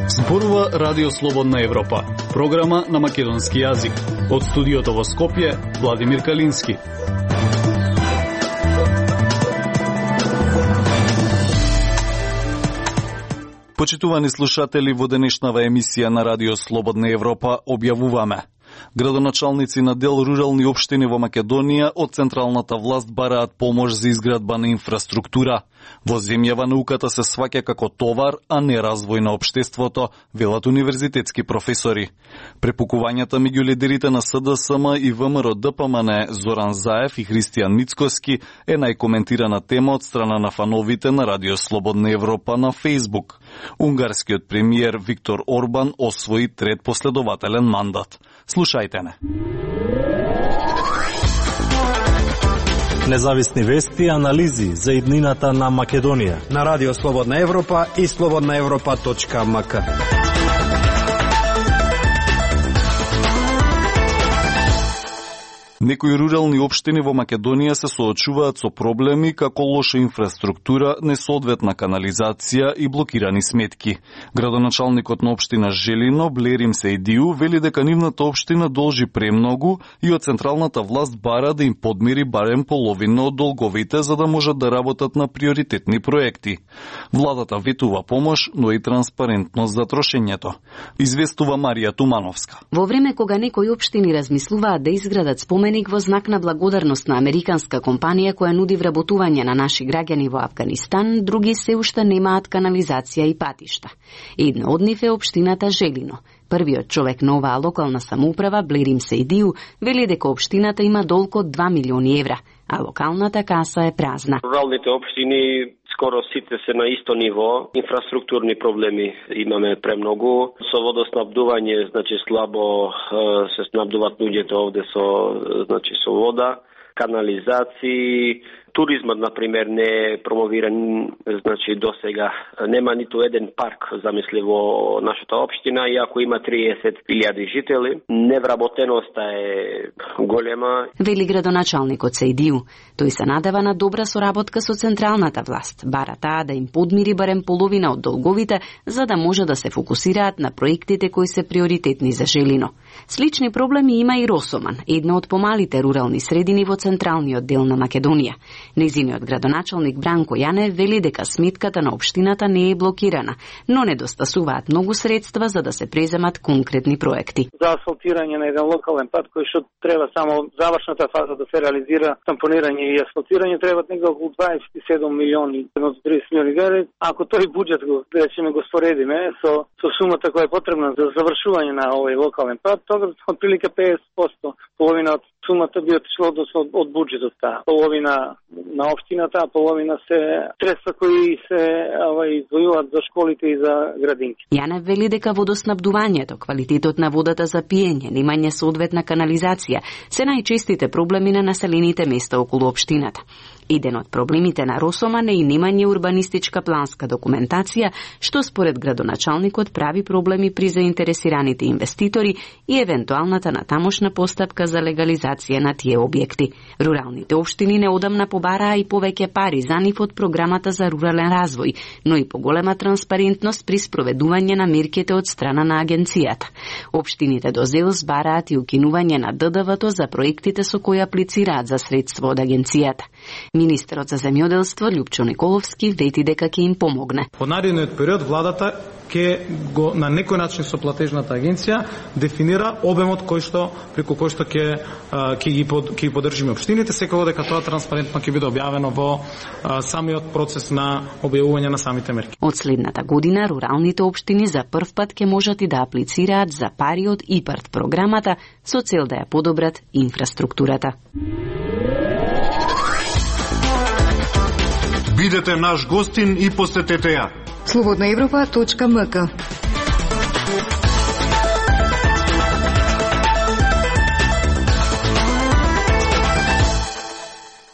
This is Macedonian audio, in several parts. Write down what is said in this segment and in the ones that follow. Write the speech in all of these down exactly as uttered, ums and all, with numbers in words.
Зборува Радио Слободна Европа, програма на македонски јазик. Од студиото во Скопје, Владимир Калински. Почитувани слушатели, во денешнава емисија на Радио Слободна Европа објавуваме: градоначалници на дел рурални општини во Македонија од централната власт бараат помош за изградба на инфраструктура. Во земјава науката се сваќа како товар, а не развој на општеството, велат универзитетски професори. Препукувањата меѓу лидерите на С Д С М и В М Р Д П М Н Зоран Заев и Христијан Мицкоски е најкоментирана тема од страна на фановите на Радио Слободна Европа на Фејсбук. Унгарскиот премиер Виктор Орбан освои трет последователен мандат. Слушајте не. Независни вести и анализи за иднината на Македонија на Радио Слободна Европа и слободна европа точка м к. Некои рурални општини во Македонија се соочуваат со проблеми како лоша инфраструктура, несоодветна канализација и блокирани сметки. Градоначалникот на општина Желино, Блерим Сејдију, вели дека нивната општина должи премногу и од централната власт бара да им подмири барем половина од долговите за да можат да работат на приоритетни проекти. Владата ветува помош, но и транспарентност за трошењето. Известува Марија Тумановска. Во време кога некои општини размислуваат да изградат спомен во знак на благодарност на американска компанија која нуди вработување на наши граѓани во Авганистан, други се уште немаат канализација и патишта. Една од нив е општината Желино. Првиот човек на оваа локална самоуправа, Блерим Сејдију, вели дека општината има долг од два милиони евра, а локалната каса е празна. Руралните општини скоро сите се на исто ниво. Инфраструктурни проблеми имаме премногу. Со водоснабдување, значи слабо се снабдуваат луѓето овде со, значи со вода, канализации. Туризмот, например, не е промовиран, значи до сега нема ниту еден парк замисли во нашата општина, иако има триесет илјади жители. Невработеноста е голема. Вели градоначалникот Сејдију. Тој се надева на добра соработка со централната власт. Бара таа да им подмири барем половина од долговите, за да може да се фокусираат на проектите кои се приоритетни за Желино. Слични проблеми има и Росоман, една од помалите рурални средини во централниот дел на Македонија. Незиниот градоначалник Бранко Јане вели дека сметката на општината не е блокирана, но недостасуваат многу средства за да се преземат конкретни проекти. За асфалтирање на еден локален пат кој што треба само завршната фаза да се реализира, тампонирање и асфалтирање, треба некако околу дваесет и седум милиони до триесет милиони евра. Ако тој буџет го речеме го споредиме со со сумата која е потребна за завршување на овој локален пат, тогаш отприлика педесет проценти, половина од сумата би отишло од, од буџетот, таа половина на општината, а половина се средства кои се издвојуваат за школите и за градинки. Јане вели дека водоснабдувањето, квалитетот на водата за пиење, немање соодветна канализација се најчестите проблеми на населените места околу општината. Еден од проблемите на Росоман е и немање урбанистичка планска документација, што според градоначалникот прави проблеми при заинтересираните инвеститори и евентуалната натамошна постапка за легализација на тие објекти. Руралните општини неодамна побараа и повеќе пари за нив од програмата за рурален развој, но и поголема транспарентност при спроведување на мерките од страна на агенцијата. Општините до ЗЕЛС бараат и укинување на Д Д В-то за проектите со кои аплицираат за средство од агенцијата. Министерот за земјоделство Љупчо Николовски вети дека ќе им помогне. Во наредниот период владата ќе го на некој начин со платежната агенција дефинира обемот кој што преку кој што ќе ќе ги под, ќе ги поддржиме општините, секако дека тоа транспарентно ќе биде објавено во а, самиот процес на објавување на самите мерки. Од следната година руралните општини за прв пат ќе можат и да аплицираат за пари од ИПАРД програмата со цел да ја подобрат инфраструктурата. Бидете наш гостин и посетете ја. слободна европа точка м к.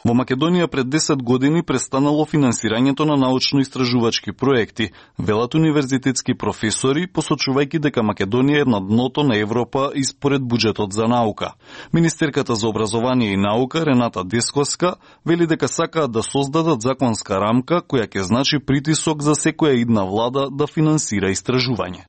Во Во Македонија пред десет години престанало финансирањето на научно-истражувачки проекти, велат универзитетски професори, посочувајќи дека Македонија е на дното на Европа и според буџетот за наука. Министерката за образование и наука Рената Десковска вели дека сакаат да создадат законска рамка која ќе значи притисок за секоја идна влада да финансира истражување.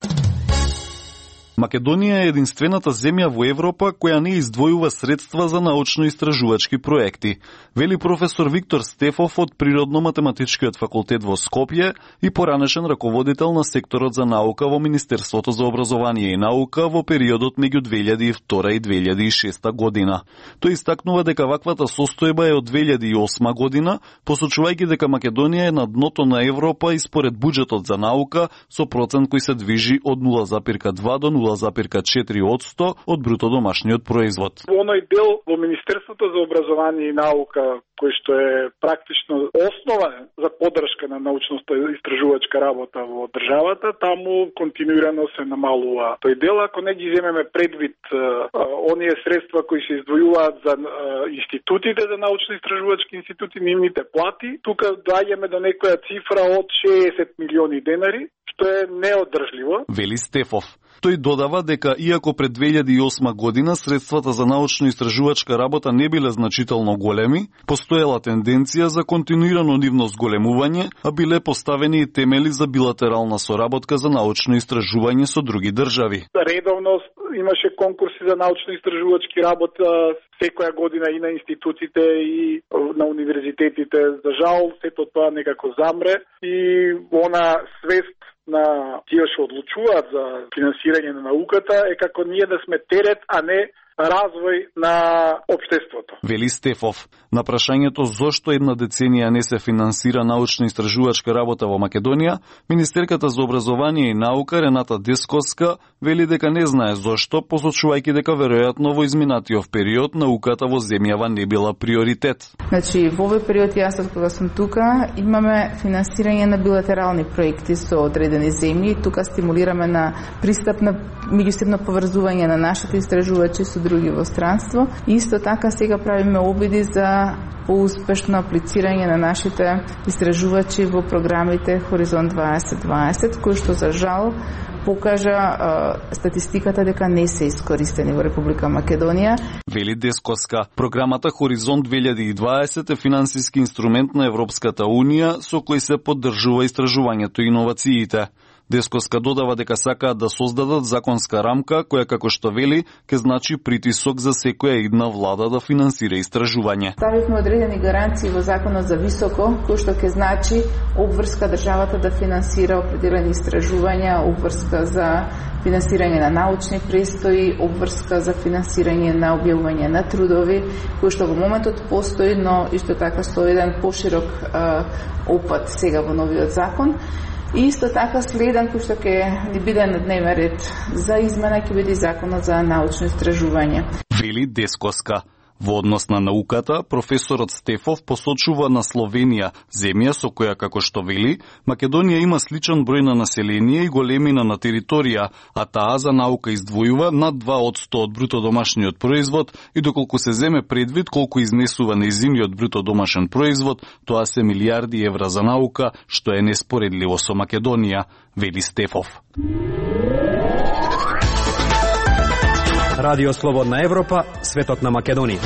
Македонија е единствената земја во Европа која не издвојува средства за научно-истражувачки проекти, вели професор Виктор Стефов од Природно-математичкиот факултет во Скопје и поранешен раководител на секторот за наука во Министерството за образование и наука во периодот меѓу две илјади и втора и две илјади и шеста година. Тој истакнува дека ваквата состојба е од две илјади и осма година, посочувајќи дека Македонија е на дното на Европа и според буџетот за наука со процент кој се движи од нула зарез два до нула зарез четири одсто од бруто домашниот производ. Оној дел во Министерството за образование и наука кој што е практично основа за поддршка на научно-истражувачка работа во државата, таму континуирано се намалува тој дел. Ако не ги земеме предвид а, оние средства кои се издвојуваат за а, институтите, за научно-истражувачки институти, нивните плати, тука доаѓаме до некоја цифра од шеесет милиони денари, што е неодржливо. Вели Стефов. Тој додава дека иако пред две илјади и осма година средствата за научно-истражувачка работа не биле значително големи, постоела тенденција за континуирано нивно зголемување, а биле поставени и темели за билатерална соработка за научно истражување со други држави. Редовно имаше конкурси за научно-истражувачки работа секоја година и на институциите и на универзитетите. За жал, сето тоа некако замре и она свест на тие што одлучуваат за финансирање на науката е како ние да сме терет, а не развој на општеството. Вели Стефов. На прашањето зошто една деценија не се финансира научно-истражувачка работа во Македонија, Министерката за образование и наука Рената Десковска вели дека не знае зошто, посочувајќи дека веројатно во изминатиот период науката во земјава не била приоритет. Значи, во овој период јас од кога сум тука имаме финансирање на билатерални проекти со одредени земји. Тука стимулираме на пристап на меѓусебно поврзување на нашите истражувачи со други во странство. Исто така сега правиме обиди за поуспешно аплицирање на нашите истражувачи во програмите Хоризонт дваесет дваесет, кои што за жал покажа а, статистиката дека не се искористени во Република Македонија. Вели Десковска, програмата Хоризонт две илјади и дваесет е финансиски инструмент на Европската Унија со кој се поддржува истражувањето и иновациите. Десковска додава дека сакаат да создадат законска рамка која, како што вели, ќе значи притисок за секоја идна влада да финансира истражување. Ставивме одредени гаранции во законот за високо, кој што ќе значи обврска државата да финансира определени истражувања, обврска за финансирање на научни престои, обврска за финансирање на објавување на трудови, кој што во моментот постои, но исто така со еден поширок а, опат сега во новиот закон. И исто така следен кој што ќе ни биде на дневен ред за измена ќе биде законот за научно истражување. Вели Десковска. Во однос на науката, професорот Стефов посочува на Словенија, земја со која, како што вели, Македонија има сличен број на население и големина на територија, а таа за наука издвојува над два одсто од бруто домашниот производ и доколку се земе предвид колку изнесува нејзиниот бруто домашен производ, тоа се милиарди евра за наука, што е неспоредливо со Македонија, вели Стефов. Радио Слободна Европа, светот на Македонија.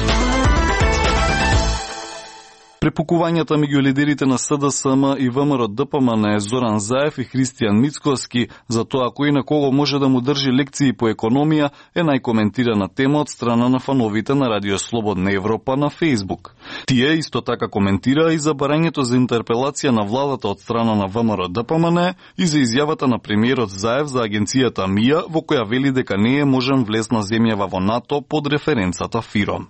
Препукувањата меѓу лидерите на СДСМ и ВМРО-ДПМН Зоран Заев и Христијан Мицкоски за тоа кој на кого може да му држи лекции по економија е најкоментирана тема од страна на фановите на Радио Слободна Европа на Facebook. Тие исто така коментира и за барањето за интерпелација на владата од страна на ВМРО-ДПМН и за изјавата на премиерот Заев за агенцијата МИА во која вели дека не е можен влез на земјава во НАТО под референцата ФИРОМ.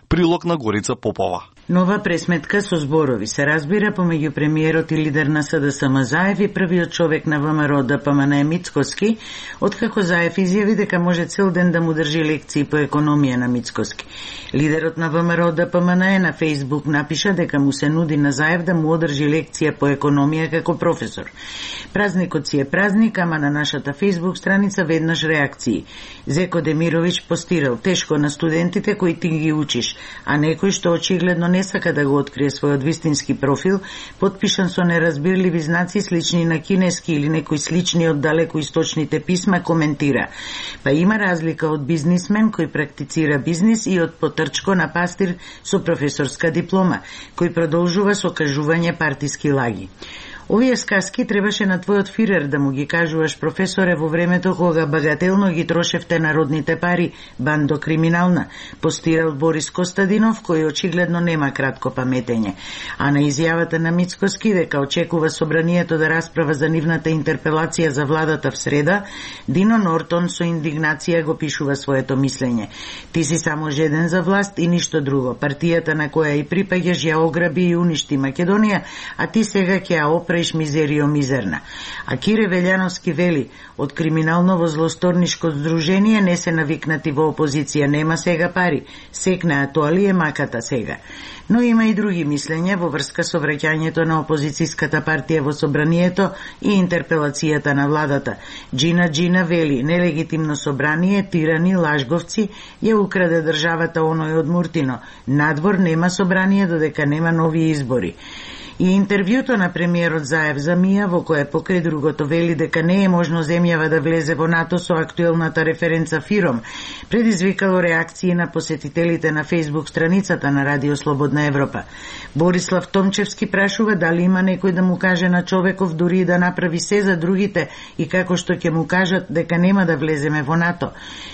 Прилог на Горица Попова. Нова пресметка со зборови се разбира помеѓу премиерот и лидер на СДСМ Заев и првиот човек на ВМРО-ДПМН Мицкоски, откако Заев изјави дека може цел ден да му држи лекции по економија на Мицкоски. Лидерот на ВМРО-ДПМН на Фейсбук напиша дека му се нуди на Заев да му одржи лекција по економија како професор. Празникот си е празник, ама на нашата Фейсбук страница веднаш реакции. Зеко Демировиќ постирал тешко на студентите кои ти ги учиш, а некој што очигледно не сака да го открие својот вистински профил, потпишан со неразбирливи знаци слични на кинески или некои слични од далекоисточните писма, коментира: па има разлика од бизнисмен кој практицира бизнис и од потрчко на пастир со професорска диплома, кој продолжува со кажување партиски лаги. Овие сказки требаше на твојот фирер да му ги кажуваш, професоре, во времето кога багателно ги трошевте народните пари, бандо криминална, постирал Борис Костадинов, кој очигледно нема кратко паметење. А на изјавата на Мицкоски дека очекува собранието да расправа за нивната интерпелација за владата в среда, Дино Нортон со индигнација го пишува своето мислење. Ти си само жеден за власт и ништо друго. Партијата на која и припаѓаш ја ограби и уништи Македонија, а ти сега ќе ја опре мизерио мизерна. А Кире Велјановски вели: од криминално во злосторнишко здружение не се навикнати во опозиција, нема сега пари, секнаа тоа ли е маката сега. Но има и други мислења во врска со враќањето на опозицијската партија во собранието и интерпелацијата на владата. Джина Джина вели: нелегитимно собрание, тирани, лажговци ја украде државата оној од Муртино. Надвор нема собрание додека нема нови избори. И интервјуто на премиерот Заев за Мија, во кое покрај другото вели дека не е можно земјава да влезе во НАТО со актуелната референца Фиром, предизвикало реакции на посетителите на Фејсбук страницата на Радио Слободна Европа. Борислав Томчевски прашува дали има некој да му каже на човеков дури и да направи се за другите и како што ќе му кажат дека нема да влеземе во НАТО.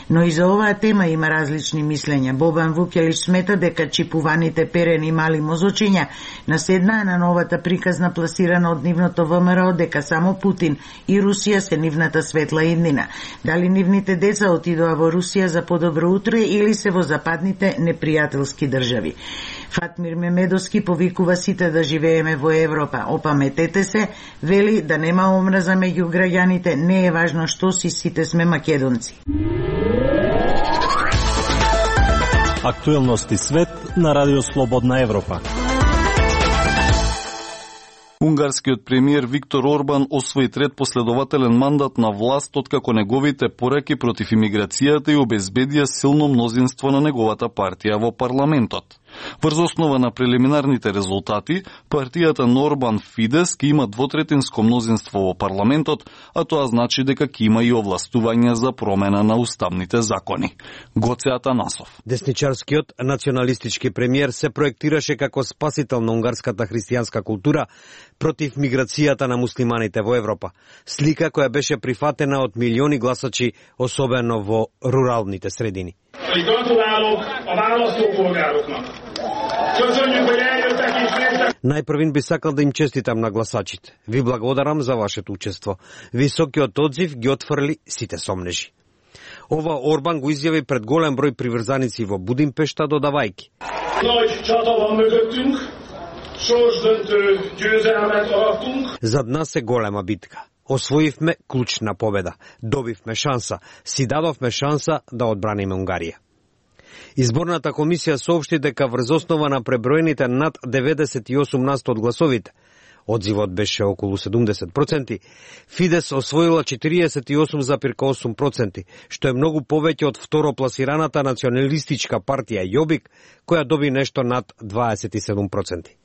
Но и за оваа тема има различни мислења. Бобан Вукелич смета дека чипуваните перени мали мозочиња наседнаа на новата приказна пласирана од нивното ВМРО дека само Путин и Русија се нивната светла иднина. Дали нивните деца отидоа во Русија за подобро утре или се во западните непријателски држави. Фатмир Мемедовски повикува сите да живееме во Европа. Опаметете се, вели да нема омраза меѓу граѓаните, не е важно што си, сите сме македонци. Актуелности свет на Радио Слободна Европа. Унгарскиот премиер Виктор Орбан освои трет последователен мандат на власт откако неговите пораки против имиграцијата и обезбедија силно мнозинство на неговата партија во парламентот. Врз основа на прелиминарните резултати, партијата на Орбан Фидес ќе има двотретинско мнозинство во парламентот, а тоа значи дека ќе има и овластување за промена на уставните закони. Гоце Атанасов. Десничарскиот националистички премиер се проектираше како спасител на унгарската христијанска култура против миграцијата на муслиманите во Европа. Слика која беше прифатена од милиони гласачи, особено во руралните средини. Најпрвин би сакал да им честитам на гласачите. Ви благодарам за вашето учество. Високиот одзив ги отфрли сите сомнежи. Ова Орбан го изјави пред голем број приврзаници во Будимпешта, додавајки: зад нас е голема битка. Освоивме клучна победа. Добивме шанса. Си дадовме шанса да одбраниме Унгарија. Изборната комисија соопшти дека врз основа на преброените над деветдесет и осум на сто од гласовите, одзивот беше околу седумдесет проценти, Фидес освоила четириесет и осум зарез осум проценти, што е многу повеќе од второпласираната националистичка партија Јобик, која доби нешто над дваесет и седум проценти.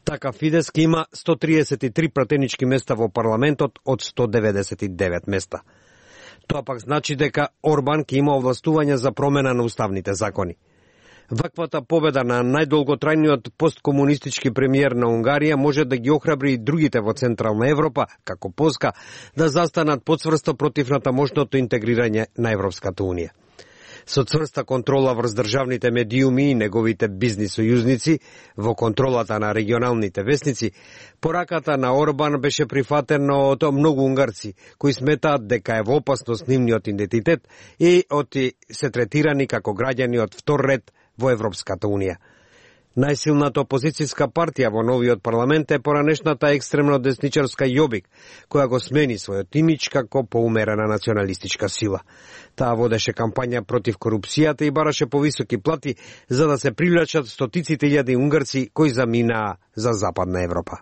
Така Фидес ќе има сто триесет и три пратенички места во парламентот од сто деветдесет и девет места. Тоа пак значи дека Орбан ќе има овластување за промена на уставните закони. Ваквата победа на најдолготрајниот посткомунистички премиер на Унгарија може да ги охрабри и другите во Централна Европа, како Полска, да застанат подцврсто против натамошното интегрирање на Европската Унија. Со цврста контрола врз државните медиуми и неговите бизнис сојузници во контролата на регионалните вестници, пораката на Орбан беше прифатена од многу унгарци, кои сметаат дека е во опасност нивниот идентитет и оти се третирани како граѓани од втор ред во Европската Унија. Најсилната опозицијска партија во новиот парламент е поранешната екстремно десничарска Јобик, која го смени својот имидж како поумерена националистичка сила. Таа водеше кампања против корупцијата и бараше повисоки плати за да се привлечат стотиците илјади унгарци кои заминаа за Западна Европа.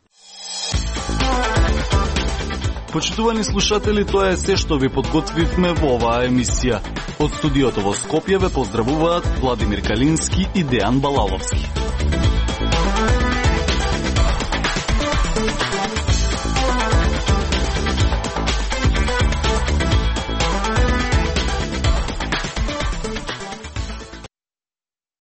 Почитувани слушатели, тоа е се што ви подготвивме во оваа емисија. Од студиото во Скопје ве поздравуваат Владимир Калински и Дејан Балаловски.